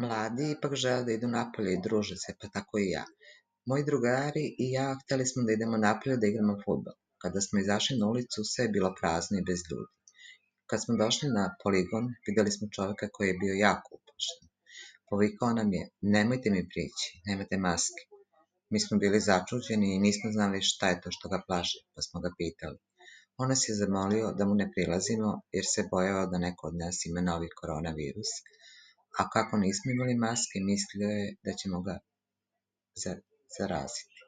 Mladi ipak žele da idu napolje i druže se, pa tako i ja. Moji drugari i ja hteli smo da idemo napolje da igramo fudbal. Kada smo izašli na ulicu, sve je bilo prazno i bez ljudi. Kad smo došli na poligon, videli smo čoveka koji je bio jako uplašen. Povikao nam je: "Nemojte mi prići, nemate maske." Mi smo bili začuđeni i nismo znali šta je to što ga plaši, pa smo ga pitali. On nas je zamolio da mu ne prilazimo jer se bojao da neko od nas ima novi koronavirus, a kako nismo imali maske, mislio je da ćemo ga zaraziti.